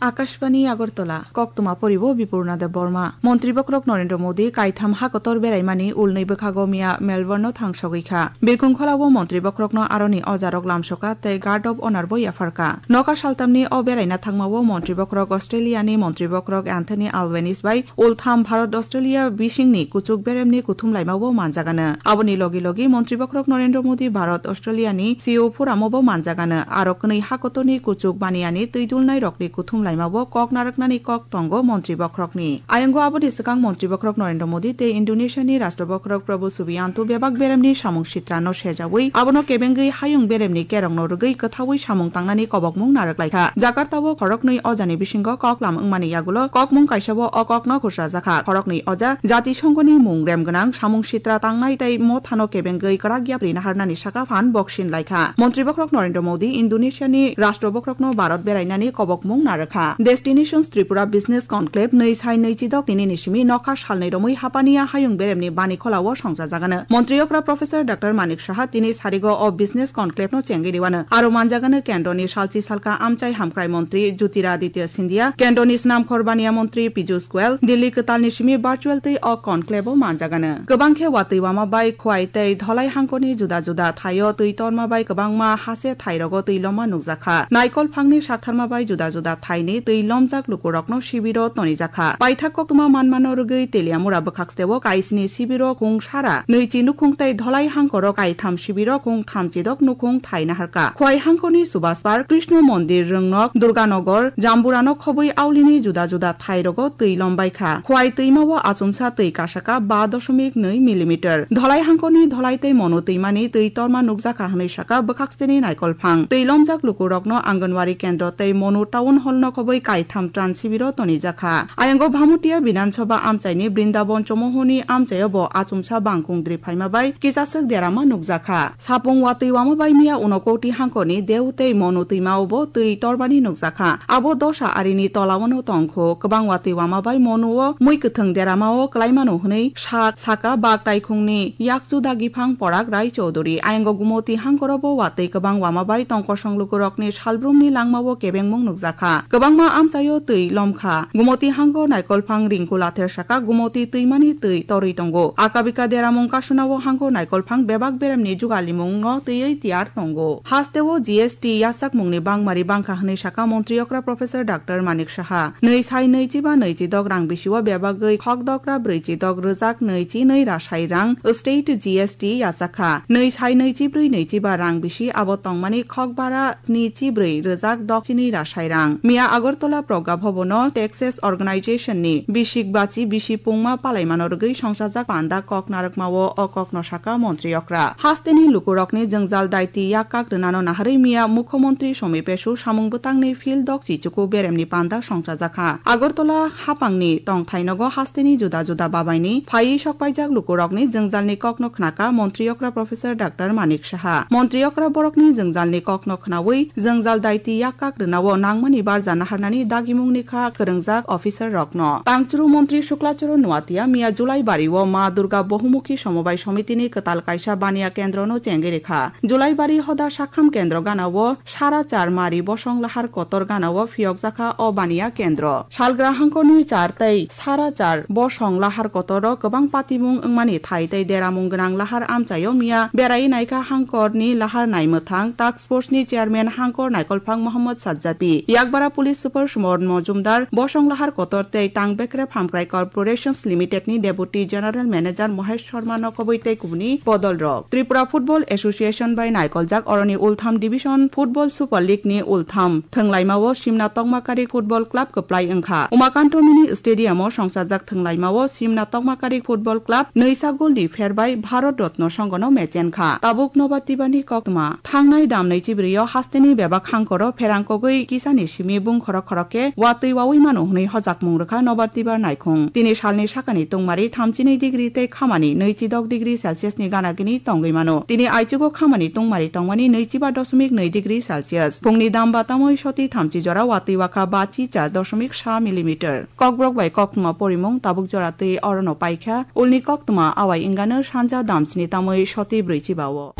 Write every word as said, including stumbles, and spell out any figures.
Akashbani Agartala, koktwma poribo Bipurna Debbarma. Montri bokhorok Narendra Modi kaitham hakotor beraimani ulnwi bwkhago miya Melbourne-o thang sogwi kha. Birkhung kholao Montri bokhorokno aroni ojarok lamsoka tei Guard of Honour bo yapharka. Nokha saltamni o beraina thangmao Montri bokhorok Australia-ni Montri bokhorok Anthony Albanese bai ultham Bharat Australia bisingni kuchuk beremni kuthum laimao manjagano. Aboni logi logi Montri bokhorok Narendra Modi Bharat Australia-ni C E O phuramo bo manjagano. Aro kwnwi hakotorni kuchuk baniyani twi dulnai rokni kuthum laimao kok narwknani kok tongo Montri bokhorokni. Ayongo aboni swkang Montri bokhorok Narendra Modi tei Indonesia-ni Rashtra bokhorok Prabowo Subianto bebak beremni samung sitrano sejawi abono kebengwi hayung beremni kerongno rwgwi kwthaui samung tangnani kobokmung narwk laikha. Jakarta-o khoroknwi ojani bisingo koklam wngmani yagulo kokmung kaisao o kokno khursajakha. Khoroknwi oja Jatisongoni mung rem gwnang samung sitra tangnai tei mothano kebengwi kwrak yapri naharnani saka phan boksin laikha. Montri bokhorok Narendra Modi Indonesia-ni Rashtra bokhorokno Bharat berainani kobokmung narwkha. Destinations Tripura Business Conclave nwi sai nwi chidok tinini simi nokha salnwi romwi Hapania hayung beremni bani kholao songchajagano. Montri okra Professor Doctor Manik Saha tini sarigo o Business Conclave no chengwi riwano. Aro manjagano kendroni salchi salka amchai hamkrai montri Jyotiraditya Scindia, kendroni snamkhor baniya montri Piyush Goyal, Delhi kwtalni simi virtual tei o conclave o manjagano. Kwbang khe watwi wama bai Khwai tei Dholai hangkoni juda juda thaio twi torma bai kwbangma hase thairogo twi loma nukjakha. Naikol phangni saktharma bai juda juda thaini twi lomjak lukurokno sibiro tonijakha. Paithak koktwma manmano rwgwi Teliamura bwkhaksteo kaisni sibiro khung sara nwichi nukhung tei Dholai hangkoro kaitham sibiro khung thamchidok nukhung thai naharka. Khwai hangkoni Subhaspar, Krishna Mondir, Rwngnok, Durganagar, Jamburano khobwi aulini juda juda thairogo twi lombaikha. Khwai twimao achomsa twi kasaka ba doshomik nwi millimeter. Dholai hangkoni Dholai tei Monu twimani twi torma nukjakha hwnwi saka bwkhakseni naikolphang. Twi lomjak lukurokno Anganwadi kendro tei Monu Town Hall-no khobwi kaitham tran sibiro tonijakha. Ayongo Bhamutia Bidhan Sabha amchaini Brindabon Chomohoni amchaio bo achomsa bangkung dri phaima bai kisaswk derama nukjakha. Sapung watwi wama bai miya Unakoti hangkoni Deu tei Monu twimao bo twi tormani nukjakha. Abo dosa arini tolao no tongkho. Kwbang watwi wama bai Monuo mui kwthwng deramao kwlaimano hwnwi sak saka bak taikhungni yakchu dagiphang Porak Rai Chowdhury. Ayongo Gumoti hangkoro bo watwi kwbang wama bai tongkosong lukurokni salbrumni langmao kebengmung nukjakha. Kwbangma amchaio twi lomkha. Gumoti hango naikolphang ringkula thersaka Gumoti twimani twi torwi tongo. Akabika deramung kasunao hango naikolphang bebak beremni jugalimungno twiwi tiyar tongo. Hasteo G S T yachakmungni bangmari bangkha hwnwi saka Montri okra Professor Doctor Manik Saha. Nwi sai nwi chiba nwi chidok rang bisio bebagwi khokdokra brwi chidok rwjak nwi chi nwi rasai rang state G S T yachakha. Nwi sai nwi chibrwi nwi chiba rang bisi abo tongmani khokbara sni chibrwi rwjak dok chini rasai rang. Miya Agartala Progga Bhabono Texas Organization ni bisik bachi bisi pungma palaimano rwgwi songchajak panda kok narwkmao o kokno saka Montri okra. Hasteni lukurokni jwngjal daiti yak kak rwnano naharwi miya Mukhyamantri Somi Pesu samung bwtangni field dok chichuku beremni panda songchajakha. Agartala hapangni tongthai nogo hasteni juda juda babaini phaiwi sokpaijak lukurokni jwngjalni kokno khnaka Montri okra Professor Doctor Manik Saha. Montri okra borokni jwngjalni kokno khnaui jwngjal daiti yak kak rwnao nangmani barja naharnani dagimungni kha kwrwngjak officer rokno. Tangchuru Montri Shukla Charan Noatia miya Julaibari o Ma Durga Bohumukhi Somobai Somitini kwtal kaisa baniya kendrono chengwi rikha. Julaibari hoda sakham kendro gana o sara char mari bosong lahar kotor gana o phiyokjakha o baniya kendro. Salgra hangkoni char tei sara char bosong lahar kotoro kwbang patimung wngmani thai tei deramung gwnang lahar amchaio miya berai naikha hangkorni lahar naimwthang task force ni chairman hangkor naikolphang Mohammad Sajjad P. Yakbara police super Sumon Mojumdar, bosong lahar kotor tei tang bekrep hamkrai corporations limited ni deputy general manager Mohesh Sharma no khobwi tei kubuni bodol rok. Tripura Football Association bai naikoljak oroni ultham division football Super League ni ultham thwnglaimao Simna Tokmakarik Football Club kwplai wngkha. Umakanto Mini Stadium o songchajak thwnglaimao Simna Tokmakarik Football Club nwisa gol ni pher bai Bharat Ratna Sangha no mechen kha. Tabuk Nobar Tibani koktwma. Thangnai dam nwi chibrwi o hasteni bebak hangkoro pherang kogwi kisani simi bung khorok khorok khe watwi waui mano hwnwi hojakmung rwkha Nobar Tibar naikhung. Tini salni sakani tungmari thamchinwi degree tei khamani nwi chidok degree Celsius ni gana gini tongwi mano. Tini aichugo khamani tungmari tongmani nwi chiba dosmik nwi degree Celsius. Phungni dam batamwi soti thamchi jora watwi wakha bachi char dosmik sa millimeter. Kokborok bai koktwma porimung tabuk jora twi orono paikha. Ulni koktwma awai wngano sanja damsni tamwi soti brwi chiba o.